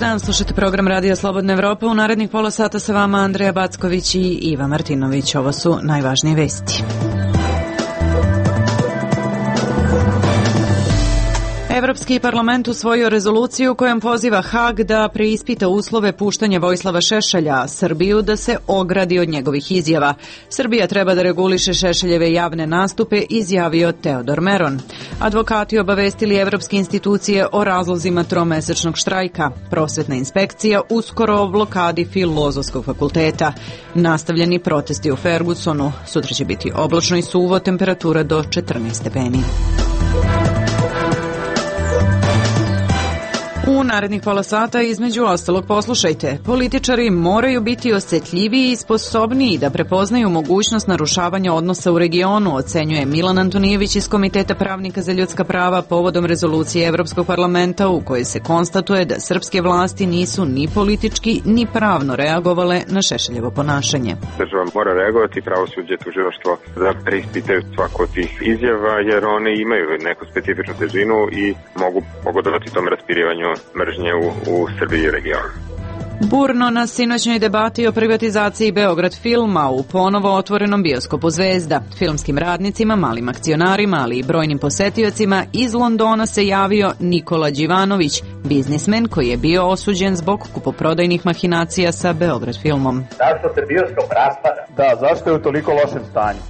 dan, slušajte program Radija Slobodna Evropa. U narednih pola sata sa vama Andreja Backović i Iva Martinović. Ovo su najvažnije vesti. Evropski parlament usvojio rezoluciju kojom poziva Hag da preispita uslove puštanja Vojislava Šešelja, a Srbiju da se ogradi od njegovih izjava. Srbija treba da reguliše Šešeljeve javne nastupe, izjavio Teodor Meron. Advokati obavestili evropske institucije o razlozima tromesečnog štrajka. Prosvetna inspekcija uskoro o blokadi Filozofskog fakulteta. Nastavljeni protesti u Fergusonu. Sutra će biti oblačno i suvo, temperatura do 14 stepeni. U narednih pola sata između ostalog poslušajte. Političari moraju biti osjetljiviji i sposobniji da prepoznaju mogućnost narušavanja odnosa u regionu, ocenjuje Milan Antonijević iz Komiteta pravnika za ljudska prava povodom rezolucije Evropskog parlamenta u kojoj se konstatuje da srpske vlasti nisu ni politički ni pravno reagovale na Šešeljevo ponašanje. Država mora reagovati, pravosuđe, tužilaštvo da preispitaju svako od tih izjava jer one imaju neku specifičnu težinu i mogu pogodovati tom raspirivanju mržnje u Srbiji i regionu. Burno na sinoćnoj debati o privatizaciji Beograd filma u ponovo otvorenom bioskopu Zvezda. Filmskim radnicima, malim akcionarima, ali i brojnim posetiocima iz Londona se javio Nikola Đivanović, biznismen koji je bio osuđen zbog kupoprodajnih mahinacija sa Beograd filmom. Zašto se bioskop raspada? Da, zašto je u toliko lošem stanju?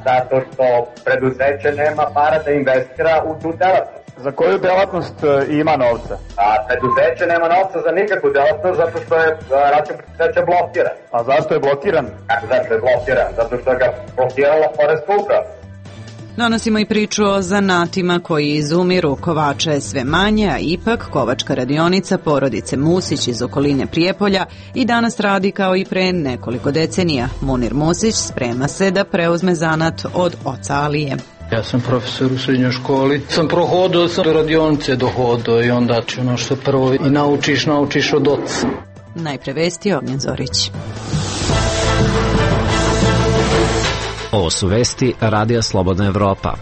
Zato što preduzeće nema para da investira u tu delatnost. Za koju delatnost ima novca? A preduzeće nema novca za nikakvu delatnost zato što je račun preduzeća blokiran. A zašto je blokiran? Zašto je blokiran? Zato što ga blokirala poreska uprava. Donosimo i priču o zanatima koji izumiru. Kovača je sve manje, a ipak kovačka radionica porodice Musić iz okoline Prijepolja i danas radi kao i pre nekoliko decenija. Munir Musić sprema se da preuzme zanat od oca Alije. Ja sam profesor u srednjoj školi, sam prohodao, sam do radionice dohodao i onda ono što prvo i naučiš od oca. Najpre vesti Ognjen Zorić. Ovo su vesti Radija Slobodna Evropa.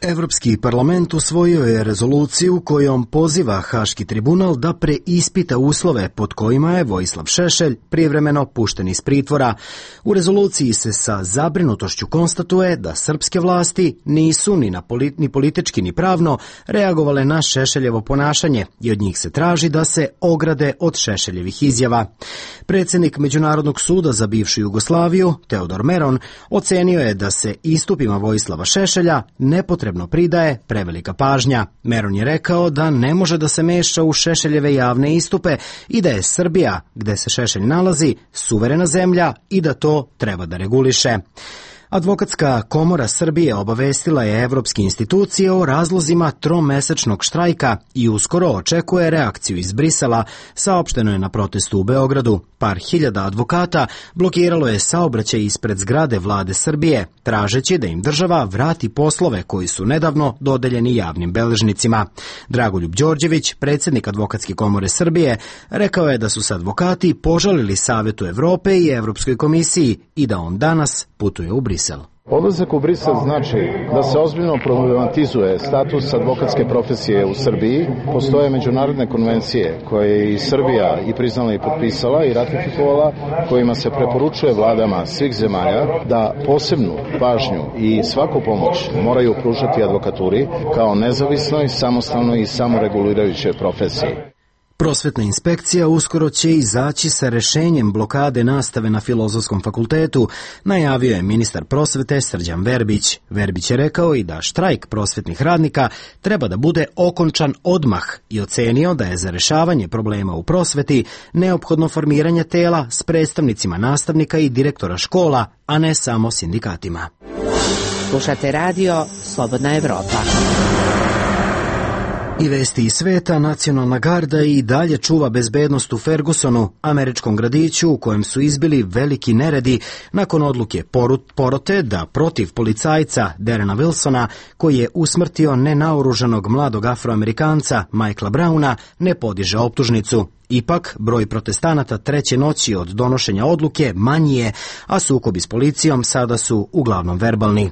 Evropski parlament usvojio je rezoluciju kojom poziva Haški tribunal da preispita uslove pod kojima je Vojislav Šešelj privremeno pušten iz pritvora. U rezoluciji se sa zabrinutošću konstatuje da srpske vlasti nisu ni politički ni pravno reagovale na Šešeljevo ponašanje i od njih se traži da se ograde od Šešeljevih izjava. Predsjednik Međunarodnog suda za bivšu Jugoslaviju, Teodor Meron, ocenio je da se istupima Vojislava Šešelja nepotrebno pridaje prevelika pažnja. Meron je rekao da ne može da se meša u Šešeljeve javne istupe i da je Srbija, gde se Šešelj nalazi, suverena zemlja i da to treba da reguliše. Advokatska komora Srbije obavestila je evropske institucije o razlozima tromesečnog štrajka i uskoro očekuje reakciju iz Brisela, saopšteno je na protestu u Beogradu. Par hiljada advokata blokiralo je saobraćaj ispred zgrade vlade Srbije, tražeći da im država vrati poslove koji su nedavno dodeljeni javnim beležnicima. Dragoljub Đorđević, predsjednik Advokatske komore Srbije, rekao je da su se advokati požalili Savetu Evrope i Evropskoj komisiji i da on danas putuje u Brisel. Odlazak u Brisel znači da se ozbiljno problematizuje status advokatske profesije u Srbiji. Postoje međunarodne konvencije koje je i Srbija i priznala i potpisala i ratifikovala, kojima se preporučuje vladama svih zemalja da posebnu pažnju i svaku pomoć moraju pružati advokaturi kao nezavisnoj, samostalnoj i samoregulirajućoj profesiji. Prosvetna inspekcija uskoro će izaći sa rešenjem blokade nastave na Filozofskom fakultetu, najavio je ministar prosvete Srđan Verbić. Verbić je rekao i da štrajk prosvetnih radnika treba da bude okončan odmah i ocenio da je za rešavanje problema u prosveti neophodno formiranje tela s predstavnicima nastavnika i direktora škola, a ne samo sindikatima. Slušate radio Slobodna Evropa. I vesti iz sveta, nacionalna garda i dalje čuva bezbednost u Fergusonu, američkom gradiću u kojem su izbili veliki neredi nakon odluke porote da protiv policajca Derena Wilsona, koji je usmrtio nenaoružanog mladog Afroamerikanca Michaela Browna, ne podiže optužnicu. Ipak, broj protestanata treće noći od donošenja odluke manji je, a sukobi s policijom sada su uglavnom verbalni.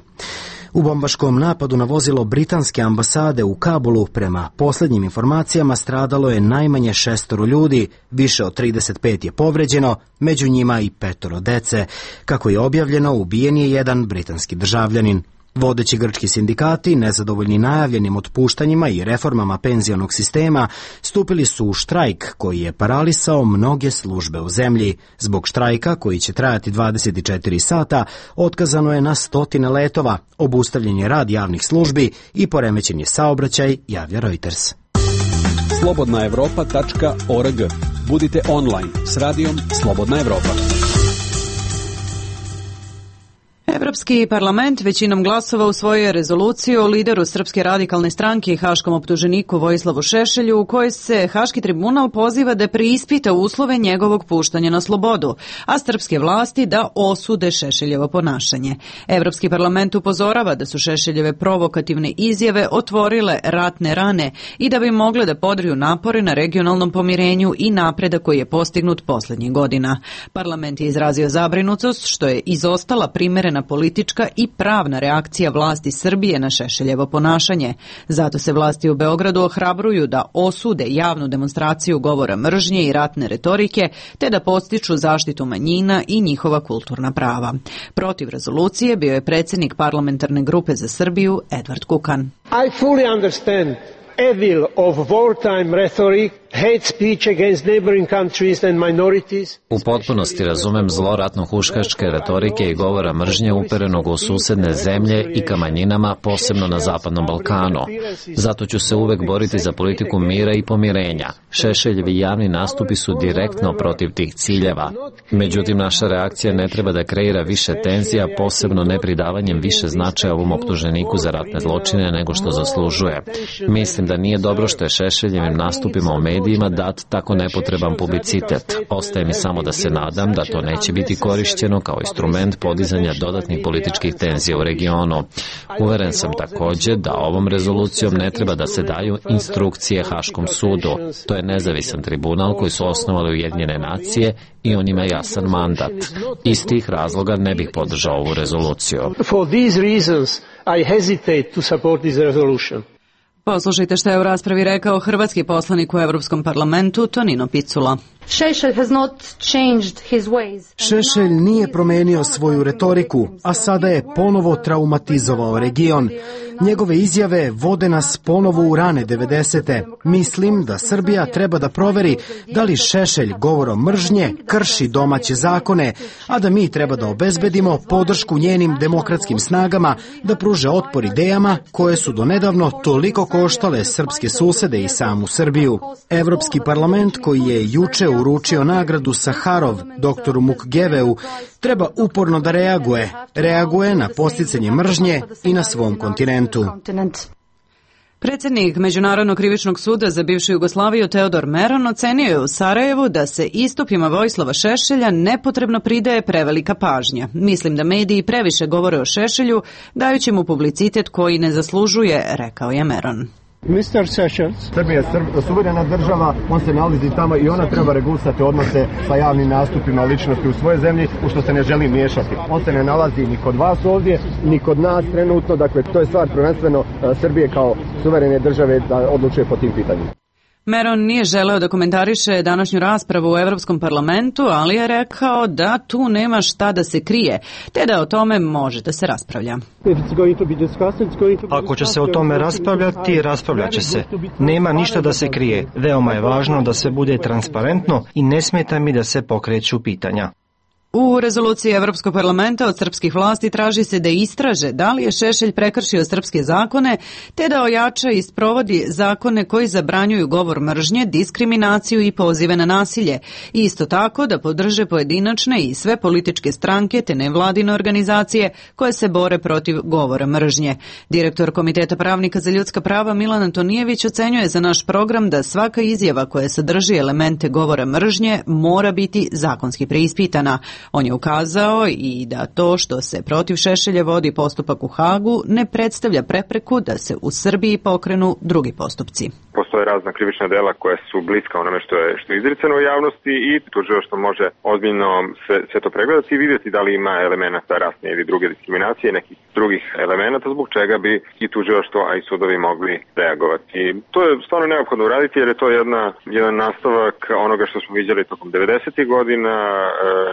U bombaškom napadu na vozilo britanske ambasade u Kabulu, prema posljednjim informacijama, stradalo je najmanje 6 ljudi, više od 35 je povređeno, među njima i 5 dece. Kako je objavljeno, ubijen je jedan britanski državljanin. Vodeći grčki sindikati, nezadovoljni najavljenim otpuštanjima i reformama penzionog sistema, stupili su u štrajk koji je paralisao mnoge službe u zemlji. Zbog štrajka, koji će trajati 24 sata, otkazano je na 100 letova, obustavljen je rad javnih službi i poremećen je saobraćaj, javlja Reuters. slobodnaevropa.org. Budite online s radijom Slobodna Evropa. Evropski parlament većinom glasova usvojio je rezoluciju o lideru Srpske radikalne stranke i haškom optuženiku Vojislavu Šešelju, u kojoj se Haški tribunal poziva da preispita uslove njegovog puštanja na slobodu, a srpske vlasti da osude Šešeljevo ponašanje. Evropski parlament upozorava da su Šešeljeve provokativne izjave otvorile ratne rane i da bi mogle da podriju napore na regionalnom pomirenju i napredak koji je postignut posljednjih godina. Parlament je izrazio zabrinutost što je izostala primerena politička i pravna reakcija vlasti Srbije na Šešeljevo ponašanje. Zato se vlasti u Beogradu ohrabruju da osude javnu demonstraciju govora mržnje i ratne retorike, te da postiču zaštitu manjina i njihova kulturna prava. Protiv rezolucije bio je predsjednik parlamentarne grupe za Srbiju Edvard Kukan. I fully understand evil of wartime rhetoric, hate speech against neighboring countries and minorities. U potpunosti razumem zlo ratno-huškačke retorike i govora mržnje uperenog u susedne zemlje i ka manjinama, posebno na Zapadnom Balkanu. Zato ću se uvek boriti za politiku mira i pomirenja. Šešeljevi javni nastupi su direktno protiv tih ciljeva. Međutim, naša reakcija ne treba da kreira više tenzija, posebno ne pridavanjem više značaja ovom optuženiku za ratne zločine nego što zaslužuje. Mislim da nije dobro što je Šešeljevim nastupima u medijima dat tako nepotreban publicitet. Ostaje mi samo da se nadam da to neće biti korišćeno kao instrument podizanja dodatnih političkih tenzija u regionu. Uveren sam također da ovom rezolucijom ne treba da se daju instrukcije Haškom sudu. To je nezavisan tribunal koji su osnovali Ujedinjene nacije i on ima jasan mandat. Iz tih razloga ne bih podržao ovu rezoluciju. For these reasons, I hesitate to support this resolution. Poslušajte što je u raspravi rekao hrvatski poslanik u Europskom parlamentu Tonino Picula. Šešelj nije promenio svoju retoriku, a sada je ponovo traumatizovao region. Njegove izjave vode nas ponovo u rane 90. Mislim da Srbija treba da proveri da li Šešelj govorom mržnje krši domaće zakone, a da mi treba da obezbedimo podršku njenim demokratskim snagama da pruže otpor idejama koje su donedavno toliko koštale srpske susede i samu Srbiju. Evropski parlament, koji je juče uručio nagradu Saharov doktoru Mukgeveu, treba uporno da reaguje na posticanje mržnje i na svom kontinentu. Predsjednik Međunarodnog krivičnog suda za bivšu Jugoslaviju Teodor Meron ocenio je u Sarajevu da se istupima Vojislava Šešelja nepotrebno pridaje prevelika pažnja. Mislim da mediji previše govore o Šešelju, dajući mu publicitet koji ne zaslužuje, rekao je Meron. Mr. Sessions. Srbija je suverena država, on se nalazi tamo i ona treba regulisati odnose sa javnim nastupima ličnosti u svojoj zemlji, u što se ne želi miješati. On se ne nalazi ni kod vas ovdje, ni kod nas trenutno, dakle to je stvar prvenstveno Srbije kao suverene države da odlučuje po tim pitanjima. Meron nije želeo da komentariše današnju raspravu u Europskom parlamentu, ali je rekao da tu nema šta da se krije, te da o tome može da se raspravlja. Ako će se o tome raspravljati, raspravljat će se. Nema ništa da se krije. Veoma je važno da sve bude transparentno i ne smeta mi da se pokreću pitanja. U rezoluciji Evropskog parlamenta od srpskih vlasti traži se da istraže da li je Šešelj prekršio srpske zakone, te da ojača i sprovodi zakone koji zabranjuju govor mržnje, diskriminaciju i pozive na nasilje. I isto tako da podrže pojedinačne i sve političke stranke te nevladine organizacije koje se bore protiv govora mržnje. Direktor Komiteta pravnika za ljudska prava Milan Antonijević ocenjuje za naš program da svaka izjava koja sadrži elemente govora mržnje mora biti zakonski preispitana. On je ukazao i da to što se protiv Šešelja vodi postupak u Hagu ne predstavlja prepreku da se u Srbiji pokrenu drugi postupci. Postoje razna krivična dela koja su bliska onome što je izricano u javnosti i tužilaštvo može ozbiljno sve to pregledati i vidjeti da li ima elemenata rasne ili druge diskriminacije, nekih drugih elemenata zbog čega bi i tužilaštvo, a i sudovi mogli reagovati. To je stvarno neophodno uraditi jer je to jedan nastavak onoga što smo vidjeli tokom 90. godina,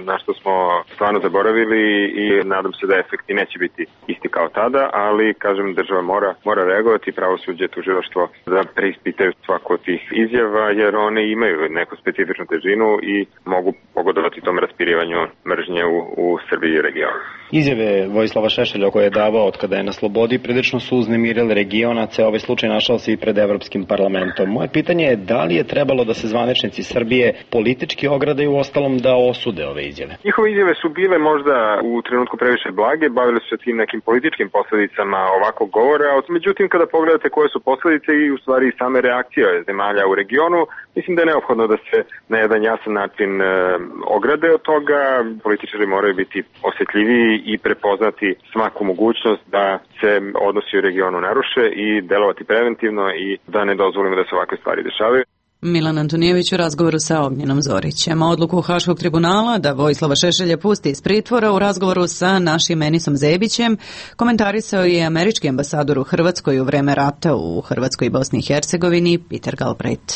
na što smo stvarno zaboravili i nadam se da efekti neće biti isti kao tada, ali kažem država mora reagovati, pravosuđe, tužilaštvo da preispitaju svako od tih izjava jer one imaju neku specifičnu težinu i mogu pogodovati tom raspirivanju mržnje u Srbiji i regionu. Izjave Vojislava Šešelja koje je davao od kada je na slobodi prilično su uznemirile regionace, ovaj slučaj našao se i pred Evropskim parlamentom. Moje pitanje je da li je trebalo da se zvaničnici Srbije politički ogradaju ostalom da osude ove izjave? Njihove izjave su bile možda u trenutku previše blage, bavili su se tim nekim političkim posledicama ovakvog govora, međutim kada pogledate koje su posledice i u stvari same reakcije zemalja u regionu, mislim da je neophodno da se na jedan jasan način ograde od toga. Političari moraju biti osjetljiviji i prepoznati svaku mogućnost da se odnosi u regionu naruše i delovati preventivno i da ne dozvolimo da se ovakve stvari dešavaju. Milan Antonijević u razgovoru sa Ognjenom Zorićem. Odluku Haškog tribunala da Vojislava Šešelja pusti iz pritvora u razgovoru sa našim Enisom Zebićem komentarisao je američki ambasador u Hrvatskoj u vreme rata u Hrvatskoj i Bosni i Hercegovini Peter Galbraith.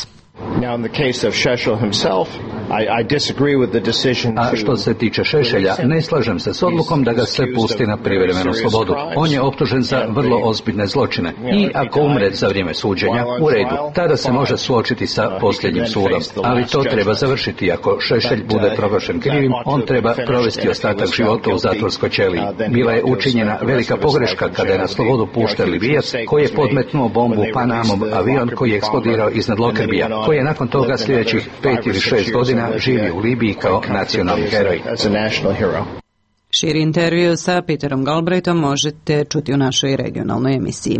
A što se tiče Šešelja, ne slažem se s odlukom da ga se pusti na privremenu slobodu. On je optužen za vrlo ozbiljne zločine i ako umre za vrijeme suđenja, u redu, tada se može suočiti sa posljednjim sudom. Ali to treba završiti. Ako Šešelj bude proglašen krivim, on treba provesti ostatak života u zatvorskoj ćeliji. Bila je učinjena velika pogreška kada je na slobodu pušten Libijac koji je podmetnuo bombu Panamom avion koji je eksplodirao iznad Lokerbija, koji je nakon toga sljedećih 5 ili 6 godina živio u Libiji kao nacionalni heroj. Širi intervju sa Peterom Galbraithom možete čuti u našoj regionalnoj emisiji.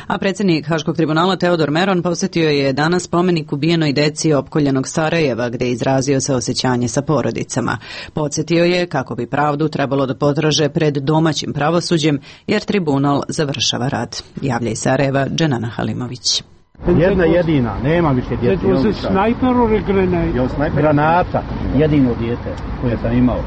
A predsjednik Haškog tribunala Teodor Meron posjetio je danas spomenik ubijenoj deci opkoljenog Sarajeva, gdje je izrazio saosećanje sa porodicama. Podsjetio je kako bi pravdu trebalo da potraže pred domaćim pravosuđem, jer tribunal završava rad. Javlja iz Sarajeva Dženana Halimović. Jedna jedina, nema više djece. Granata, jedino dijete koje sam imao.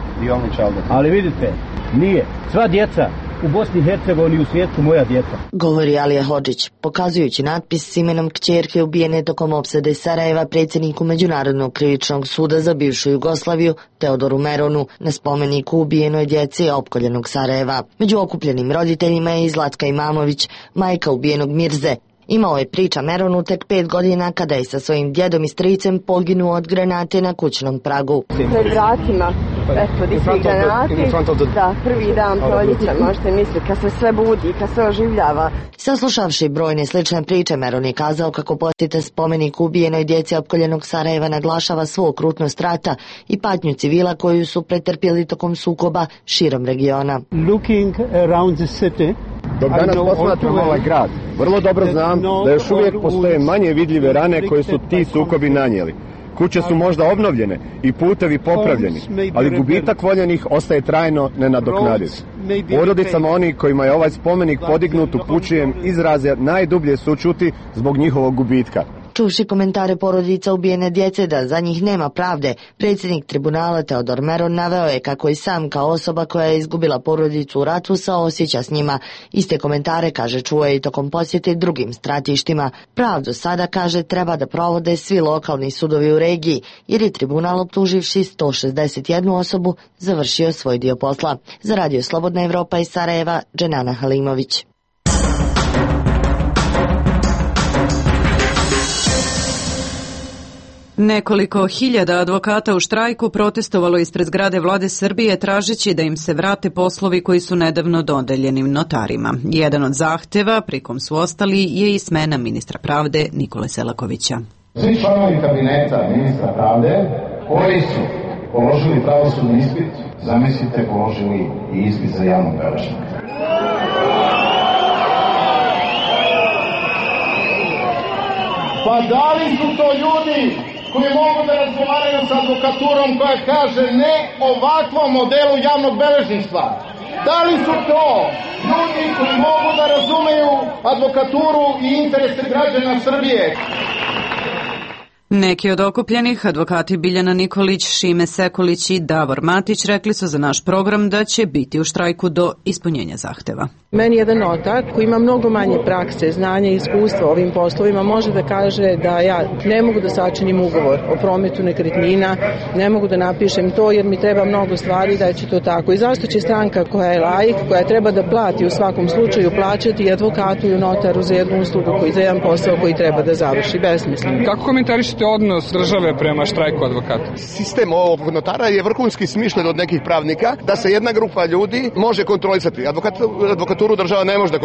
Ali vidite, nije. Sva djeca u Bosni i Hercegovini i u svijetu moja djeca. Govori Alija Hodžić, pokazujući natpis s imenom kćerke ubijene tokom opsade Sarajeva predsjedniku Međunarodnog krivičnog suda za bivšu Jugoslaviju Teodoru Meronu na spomeniku ubijenoj djeci opkoljenog Sarajeva. Među okupljenim roditeljima je i Zlatka Imamović, majka ubijenog Mirze. Imao je, priča Meronu, tek 5 godina kada je sa svojim djedom i stricem poginuo od granate na kućnom pragu. Pred vratima, eto, di svi granati, da, prvi dan proljeća, možete misliti, kad se sve budi, kad se oživljava. Saslušavši brojne slične priče, Meron je kazao kako posjeta spomenik ubijenoj djeci opkoljenog Sarajeva naglašava svu okrutnost rata i patnju civila koju su pretrpjeli tokom sukoba širom regiona. Looking around the city, dok danas posmatram ovaj grad, vrlo dobro znam da još uvijek postoje manje vidljive rane koje su ti sukobi nanijeli. Kuće su možda obnovljene i putevi popravljeni, ali gubitak voljenih ostaje trajno nenadoknadiv. Porodicama onih kojima je ovaj spomenik podignut upućujem izraze najdublje sućuti zbog njihovog gubitka. Čuvši komentare porodica ubijene djece da za njih nema pravde, predsjednik tribunala Teodor Meron naveo je kako i sam kao osoba koja je izgubila porodicu u ratu saosjeća s njima. Iste komentare, kaže, čuo je i tokom posjete drugim stratištima. Pravdu sada, kaže, treba da provode svi lokalni sudovi u regiji, jer je tribunal optuživši 161 osobu završio svoj dio posla. Za Radio Slobodna Evropa iz Sarajeva, Dženana Halimović. Nekoliko hiljada advokata u štrajku protestovalo ispred zgrade vlade Srbije tražeći da im se vrate poslovi koji su nedavno dodeljeni notarima. Jedan od zahteva, pri kom su ostali, je i smena ministra pravde Nikole Selakovića. Svi članovi kabineta ministra pravde koji su položili pravosudni ispit, zamislite, položili i ispit za javnog beležnika. Pa da li su to ljudi koji mogu da razgovaraju sa advokaturom koja kaže ne ovakvom modelu javnog beležništva? Da li su to ljudi koji mogu da razumeju advokaturu i interese građana Srbije? Neki od okupljenih, advokati Biljana Nikolić, Šime Sekulić i Davor Matić, rekli su za naš program da će biti u štrajku do ispunjenja zahteva. Meni jedan notar koji ima mnogo manje prakse, znanja i iskustva ovim poslovima može da kaže da ja ne mogu da sačinim ugovor o prometu nekretnina, ne mogu da napišem to jer mi treba mnogo stvari da će to tako. I zašto će stranka koja je laik, koja treba da plati u svakom slučaju plaćati i advokatu i notaru za jednu uslugu, za jedan posao koji treba da završi besmisleno. Kako komentarišete odnos države prema štrajku advokata? Sistem ovog notara je vrhunski smišljen od nekih pravnika da se jedna grupa ljudi može kontrolisati. Advokaturu država ne može da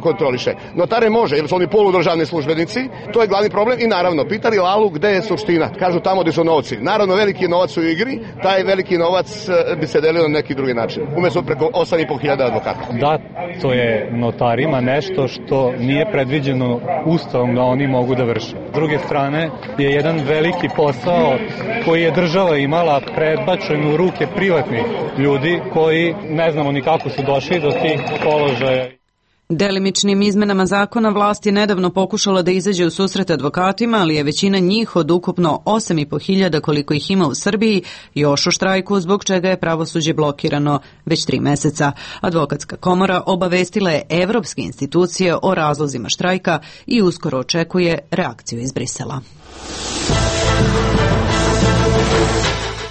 kontroliše. Notare može, jer su oni poludržavni službenici. To je glavni problem i naravno, pitali Lalu gde je suština. Kažu tamo gde su novci. Naravno, veliki novac u igri, taj veliki novac bi se delio na neki drugi način. Umesto preko 8.500 advokata. Da, to je notarima nešto što nije predviđeno ustavom da oni mogu da vrše. S druge strane je jedan veliki posao koji je država imala prebačen u ruke privatnih ljudi koji ne znamo ni kako su došli do tih položaja. Delimičnim izmenama zakona vlast je nedavno pokušala da izađe u susret advokatima, ali je većina njih od ukupno 8.500 koliko ih ima u Srbiji još u štrajku, zbog čega je pravosuđe blokirano već 3 meseca. Advokatska komora obavestila je evropske institucije o razlozima štrajka i uskoro očekuje reakciju iz Brisela.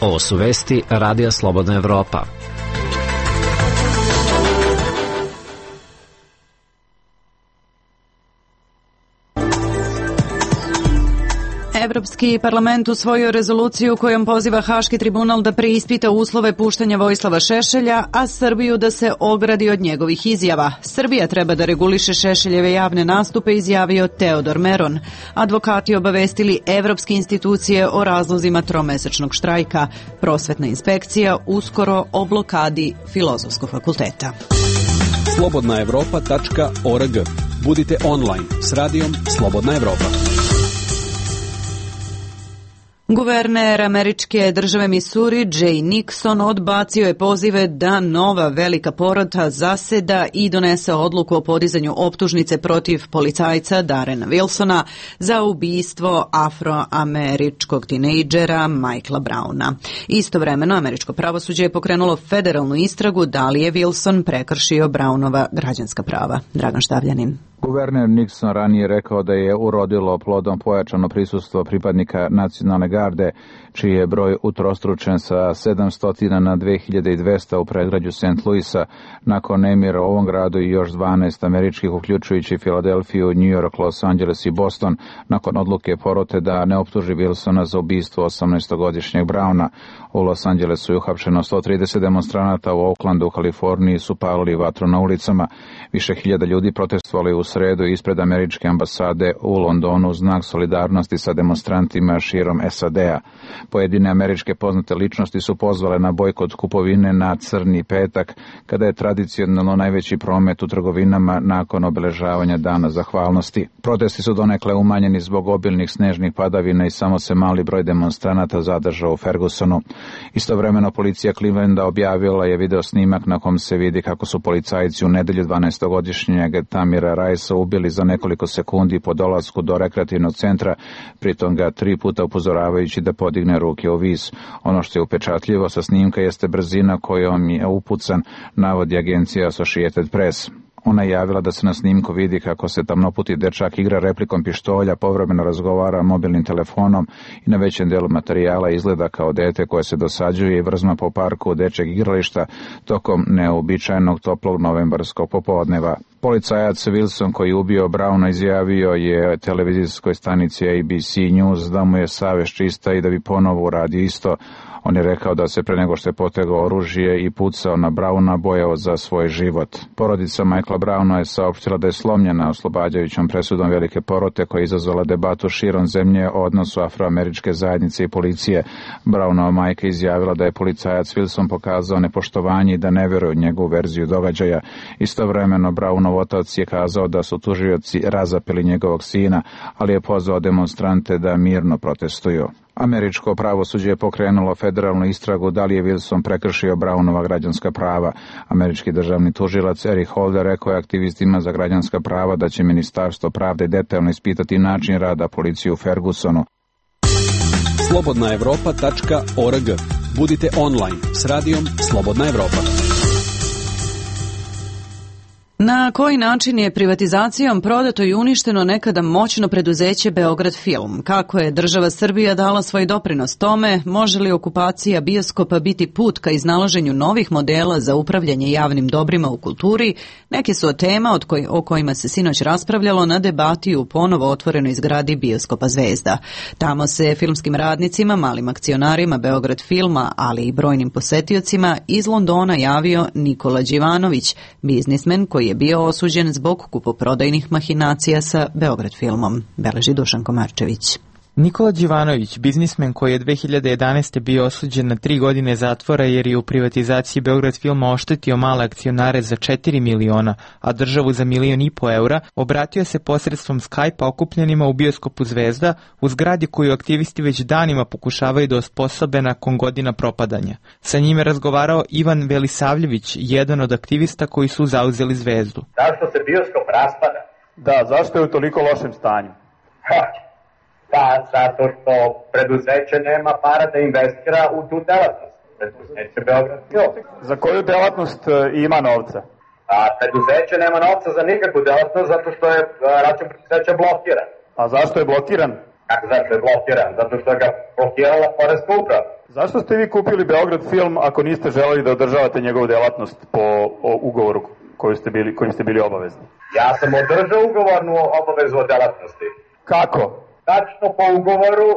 Ovo su vesti Radija Slobodna Evropa. Evropski parlament usvojio rezoluciju kojom poziva Haški tribunal da preispita uslove puštanja Vojislava Šešelja, a Srbiju da se ogradi od njegovih izjava. Srbija treba da reguliše Šešeljeve javne nastupe, izjavio Teodor Meron. Advokati obavestili evropske institucije o razlozima tromesečnog štrajka. Prosvetna inspekcija uskoro o blokadi Filozofskog fakulteta. slobodnaevropa.org. Budite online s radijom Slobodna Evropa. Guverner američke države Missouri, Jay Nixon, odbacio je pozive da nova velika porota zaseda i donese odluku o podizanju optužnice protiv policajca Darrena Wilsona za ubistvo afroameričkog tinejdžera Michaela Browna. Istovremeno, američko pravosuđe je pokrenulo federalnu istragu da li je Wilson prekršio Brownova građanska prava. Dragan Štavljanin. Guverner Nixon ranije rekao da je urodilo plodom pojačano prisustvo pripadnika nacionalne garde, čiji je broj utrostručen sa 700 na 2200 u predgrađu St. Louisa, nakon nemira u ovom gradu i još 12 američkih, uključujući Filadelfiju, New York, Los Angeles i Boston, nakon odluke porote da ne optuži Wilsona za ubistvo 18-godišnjeg Browna. U Los Angelesu je uhapšeno 130 demonstranata, u Oaklandu u Kaliforniji su palili vatru na ulicama. Više hiljada ljudi protestovali u sredu ispred američke ambasade u Londonu u znak solidarnosti sa demonstrantima širom SAD-a. Pojedine američke poznate ličnosti su pozvale na bojkot kupovine na Crni petak, kada je tradicionalno najveći promet u trgovinama nakon obeležavanja Dana zahvalnosti. Protesti su donekle umanjeni zbog obilnih snežnih padavina i samo se mali broj demonstranata zadržao u Fergusonu. Istovremeno policija Clevelanda objavila je video snimak na kom se vidi kako su policajci u nedelju 12-godišnjeg Tamira Rajsa ubili za nekoliko sekundi po dolasku do rekreativnog centra, pritom ga 3 puta upozoravajući da podigne ruke u vis. Ono što je upečatljivo sa snimka jeste brzina kojom je upucan, navodi agencija Associated Press. Ona je javila da se na snimku vidi kako se tamnoputi dečak igra replikom pištolja, povremeno razgovara mobilnim telefonom i na većem delu materijala izgleda kao dete koje se dosađuje i vrzma po parku dečjeg igrališta tokom neobičajenog toplog novembarskog popodneva. Policajac Wilson koji je ubio Browna izjavio je televizijskoj stanici ABC News da mu je savest čista i da bi ponovo uradio isto. On je rekao da se pre nego što je potegao oružje i pucao na Browna bojao za svoj život. Porodica Michaela Browna je saopštila da je slomljena oslobađajućom presudom velike porote koja je izazvala debatu širom zemlje o odnosu afroameričke zajednice i policije. Brownova majka izjavila da je policajac Wilson pokazao nepoštovanje i da ne veruje u njegovu verziju događaja. Istovremeno Brownov otac je kazao da su tužioci razapeli njegovog sina, ali je pozvao demonstrante da mirno protestuju. Američko pravosuđe je pokrenulo federalnu istragu da li je Wilson prekršio Brownova građanska prava. Američki državni tužilac Eric Holder rekao je aktivistima za građanska prava da će Ministarstvo pravde detaljno ispitati način rada policije u Fergusonu. slobodnaevropa.org. Budite online s radijom Slobodna Evropa. Na koji način je privatizacijom prodato i uništeno nekada moćno preduzeće Beograd Film? Kako je država Srbija dala svoj doprinos tome? Može li okupacija bioskopa biti put ka iznalaženju novih modela za upravljanje javnim dobrima u kulturi? Neke su od tema o kojima se sinoć raspravljalo na debati u ponovo otvorenoj zgradi bioskopa Zvezda. Tamo se filmskim radnicima, malim akcionarima Beograd Filma, ali i brojnim posetiocima iz Londona javio Nikola Đivanović, biznismen koji je bio osuđen zbog kupoprodajnih mahinacija sa Beograd Filmom, beleži Dušan Komarčević. Nikola Đivanović, biznismen koji je 2011. bio osuđen na 3 godine zatvora jer je u privatizaciji Beograd Filma oštetio male akcionare za 4 miliona, a državu za 1,5 miliona eura, obratio se posredstvom Skype-a okupljenima u bioskopu Zvezda, u zgradi koju aktivisti već danima pokušavaju da osposobe nakon godina propadanja. Sa njime razgovarao Ivan Velisavljević, jedan od aktivista koji su zauzeli Zvezdu. Zašto se bioskop raspada? Da, zašto je u toliko lošem stanju? Pa, zato što preduzeće nema para da investira u tu delatnost. Preduzeće Beograd Film. Za koju delatnost ima novca? A preduzeće nema novca za nikakvu delatnost zato što je račun preduzeća blokiran. A zašto je blokiran? Kako zašto je blokiran? Zato što ga blokirala poreska uprava. Zašto ste vi kupili Beograd Film ako niste želeli da održavate njegovu delatnost po ugovoru kojim ste bili obavezni? Ja sam održao ugovornu obavezu o delatnosti. Kako? Tačno po ugovoru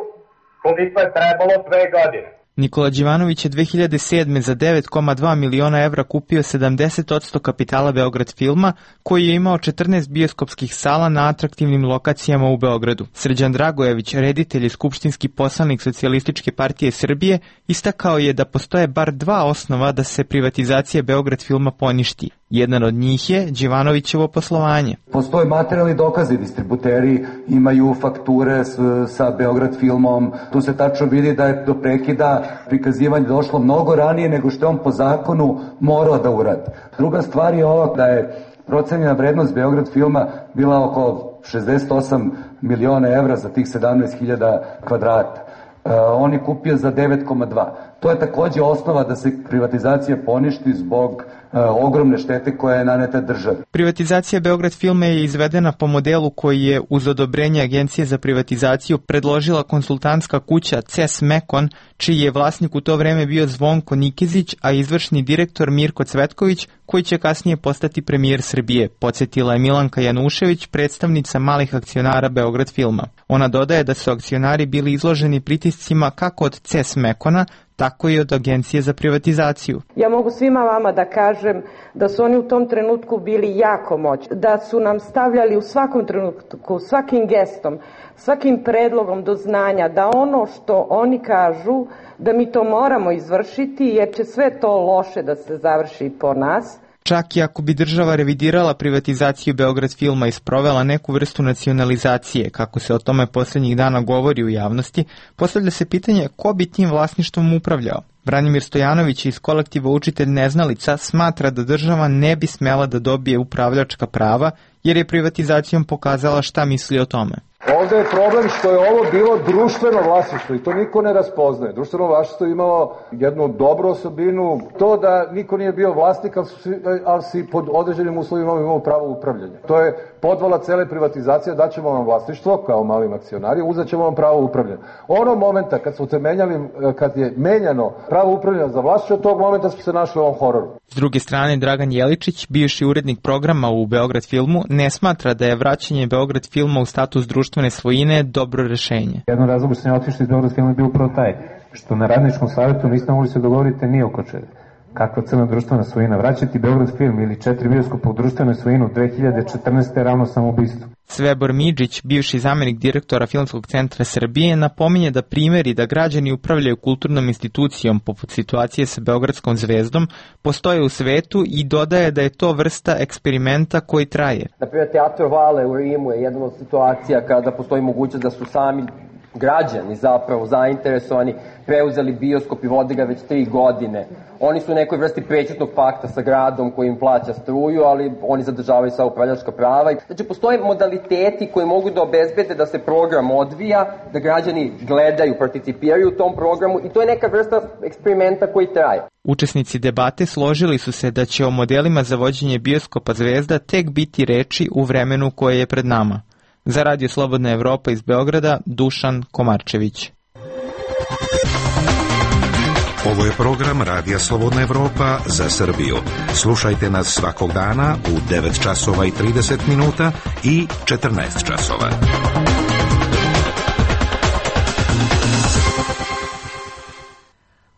koliko je trebalo 2 godine. Nikola Đivanović je 2007. za 9,2 miliona evra kupio 70% kapitala Beograd Filma, koji je imao 14 bioskopskih sala na atraktivnim lokacijama u Beogradu. Srđan Dragojević, reditelj i skupštinski poslanik Socijalističke partije Srbije, istakao je da postoje bar 2 osnova da se privatizacija Beograd Filma poništi. Jedan od njih je Đivanovićevo poslovanje. Postoje materijalni dokazi, distributeri imaju fakture sa Beograd Filmom. Tu se tačno vidi da je do prekida prikazivanje došlo mnogo ranije nego što je on po zakonu morao da uradi. Druga stvar je ova da je procenjena vrednost Beograd Filma bila oko 68 miliona evra za tih 17.000 kvadrata. On je kupio za 9,2. To je takođe osnova da se privatizacija poništi zbog ogromne štete koja je naneta državi. Privatizacija Beograd Filma je izvedena po modelu koji je uz odobrenje Agencije za privatizaciju predložila konsultantska kuća CES Mekon, čiji je vlasnik u to vreme bio Zvonko Nikezić, a izvršni direktor Mirko Cvetković, koji će kasnije postati premijer Srbije, podsjetila je Milanka Janušević, predstavnica malih akcionara Beograd Filma. Ona dodaje da su akcionari bili izloženi pritiscima kako od CES Mekona, tako i od Agencije za privatizaciju. Ja mogu svima vama da kažem da su oni u tom trenutku bili jako moćni, da su nam stavljali u svakom trenutku, svakim gestom, svakim predlogom do znanja da ono što oni kažu da mi to moramo izvršiti jer će sve to loše da se završi po nas. Čak i ako bi država revidirala privatizaciju Beograd Filma i sprovela neku vrstu nacionalizacije, kako se o tome posljednjih dana govori u javnosti, postavlja se pitanje ko bi tim vlasništvom upravljao. Branimir Stojanović iz kolektiva Učitelj neznalica smatra da država ne bi smela da dobije upravljačka prava jer je privatizacijom pokazala šta misli o tome. Ovde je problem što je ovo bilo društveno vlasništvo i to niko ne raspoznaje. Društveno vlasništvo je imalo jednu dobru osobinu, to da niko nije bio vlasnik, ali si pod određenim uslovima imao pravo upravljanja. To je podvala cele privatizacije, daćemo vam vlasništvo kao malim akcionari, uzet ćemo vam pravo upravljanja. Ono momenta kad je menjano pravo upravljanja za vlasništvo, od tog momenta smo se našli u ovom hororu. S druge strane, Dragan Jeličić, bivši urednik programa u Beograd Filmu, ne smatra da je vraćanje Beograd Filma u status društvene svojine dobro rešenje. Jedan razlog što sam ja otišao iz Beograd Filma je bio upravo taj, što na radničkom savjetu niste mogli se dogovoriti ni oko čega. Kakva crna društvena svojina? Vraćati Beograd Film ili 4 bioskopa u društvenu svojinu 2014. je ravno samoubistvo. Svebor Midžić, bivši zamenik direktora Filmskog centra Srbije, napominje da primjeri da građani upravljaju kulturnom institucijom poput situacije sa Beogradskom zvezdom postoje u svetu i dodaje da je to vrsta eksperimenta koji traje. Na primjer, Teatro Vale u Rimu je jedna od situacija kada postoji mogućnost da su sami građani zapravo zainteresovani, preuzeli bioskop i vode ga već 3 godine. Oni su u nekoj vrsti prećutnog pakta sa gradom koji im plaća struju, ali oni zadržavaju sva upravljačka prava. Znači, postoje modaliteti koji mogu da obezbede da se program odvija, da građani gledaju, participiraju u tom programu i to je neka vrsta eksperimenta koji traje. Učesnici debate složili su se da će o modelima za vođenje bioskopa Zvezda tek biti reči u vremenu koje je pred nama. Za Radio Slobodna Evropa iz Beograda, Dušan Komarčević. Ovo je program Radija Slobodna Evropa za Srbiju. Slušajte nas svakog dana u 9 časova i 30 minuta i 14 časova.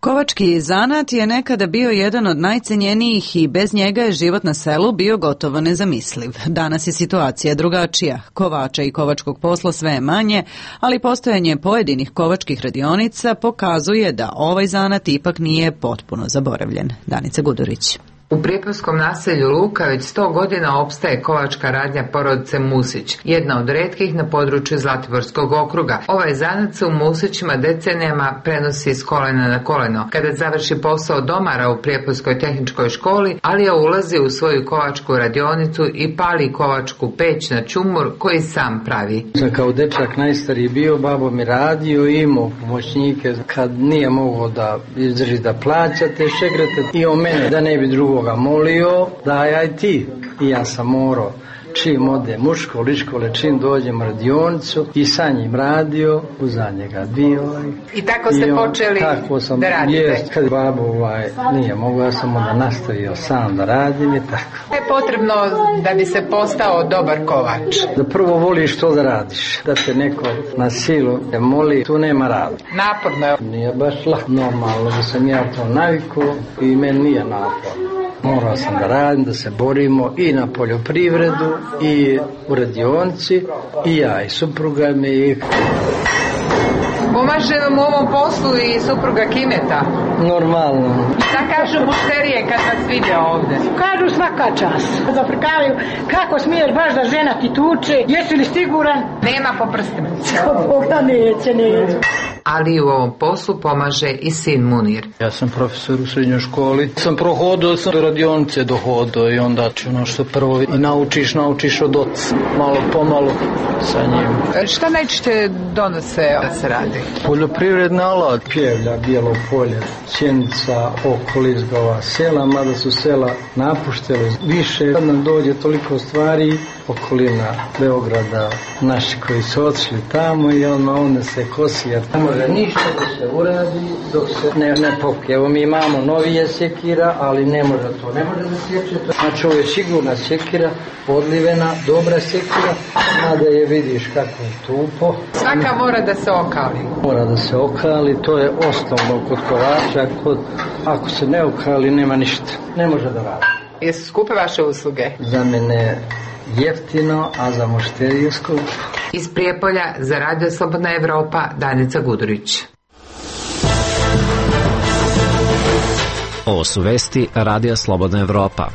Kovački zanat je nekada bio jedan od najcenjenijih i bez njega je život na selu bio gotovo nezamisliv. Danas je situacija drugačija. Kovača i kovačkog posla sve je manje, ali postojanje pojedinih kovačkih radionica pokazuje da ovaj zanat ipak nije potpuno zaboravljen. Danica Gudurić. U prijepolskom naselju Luka već 100 godina opstaje kovačka radnja porodice Musić, jedna od retkih na području Zlatiborskog okruga. Ovaj zanat se u Musićima decenijama prenosi s kolena na koleno. Kada završi posao domara u Prijepolskoj tehničkoj školi, Alija ulazi u svoju kovačku radionicu i pali kovačku peć na čumur koji sam pravi. Kao dečak najstariji bio, babo mi radio i imao pomoćnike. Kad nije mogao da izdrži da plaćate, šegrete i o mene da ne bi drugoga molio, daj aj ti. I ja sam morao, čim ode muško, liškole, čim dođem u radionicu i sa njim radio, uza njega bio. I tako ste počeli da radite? Jest, kad babo nije mogu, ja sam onda nastavio sam da radim i tako. Je potrebno da bi se postao dobar kovač? Da prvo voliš što da radiš, da te neko na silu te moli, tu nema rada. Naporno je? Nije baš lako, normalno da sam ja to navikao i meni nije naporno. Morao sam da radim, da se borimo i na poljoprivredu i u radionici i ja i supruga mi. Pomaže vam u ovom poslu i supruga Kimeta? Normalno. Šta kažu mušterije kad vas vide ovde? Kažu svaka čast. Zaprkavaju kako smiješ baš da žena ti tuče, jesi li siguran? Nema po prstima. Boga neće. Ali u ovom poslu pomaže i sin Munir. Ja sam profesor u srednjoj školi. Sam prohodao, sam do radionice dohodao i onda ono što prvo naučiš od oca. Malo pomalo sa njim. Šta najčešće donose da se radi? Poljoprivredna alat, pjevlja, bijelo polje, sjenica, okolizgova, sela, mada su sela napuštele. Više kad nam dođe toliko stvari, okolina Beograda, naši koji su otišli tamo i onda se kosi, jer ne može ništa da se uradi dok se ne pokrije. Evo mi imamo novije sjekira, ali ne može da sječe. Znači ovo je sigurna sjekira, odlivena, dobra sjekira, mada je vidiš kako je tupo. Svaka mora da se okali. Mora da se okali, to je osnovno kod kovača, ako se ne okali nema ništa, ne može da radi. Jesu skupe vaše usluge? Za mene jeftino, a za mušteriju skupo. Iz Prijepolja za Radio Slobodna Evropa, Danica Gudurić. Ovo su vesti Radija Slobodna Evropa.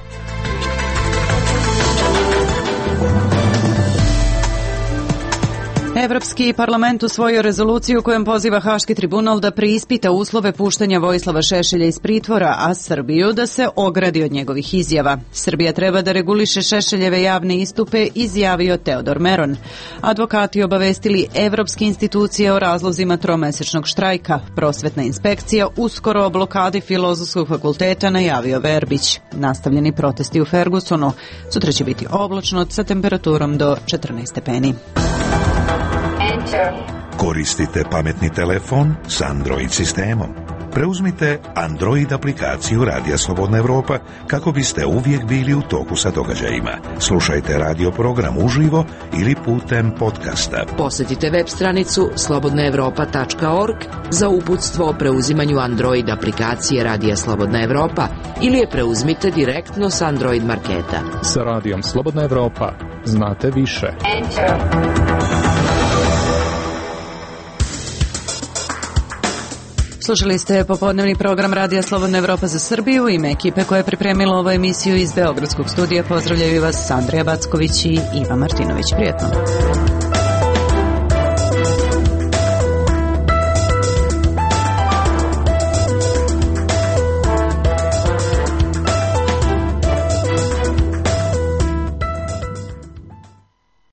Evropski parlament usvojio rezoluciju kojom poziva Haški tribunal da preispita uslove puštanja Vojislava Šešelja iz pritvora, a Srbiju da se ogradi od njegovih izjava. Srbija treba da reguliše Šešeljeve javne istupe, izjavio Teodor Meron. Advokati obavestili evropske institucije o razlozima tromesečnog štrajka. Prosvetna inspekcija uskoro o blokadi Filozofskog fakulteta, najavio Verbić. Nastavljeni protesti u Fergusonu. Sutra će biti oblačno sa temperaturom do 14 stepeni. Koristite pametni telefon s Android sistemom. Preuzmite Android aplikaciju Radija Slobodna Evropa kako biste uvijek bili u toku sa događajima. Slušajte radio program uživo ili putem podcasta. Posjetite web stranicu slobodnaevropa.org za uputstvo o preuzimanju Android aplikacije Radija Slobodna Evropa ili je preuzmite direktno s Android marketa. Sa Radijom Slobodna Evropa znate više. Slušali ste popodnevni program Radija Slobodna Evropa za Srbiju. Ime ekipe koja je pripremila ovu emisiju iz Beogradskog studija pozdravljaju vas Andrija Backović i Iva Martinović. Prijetno.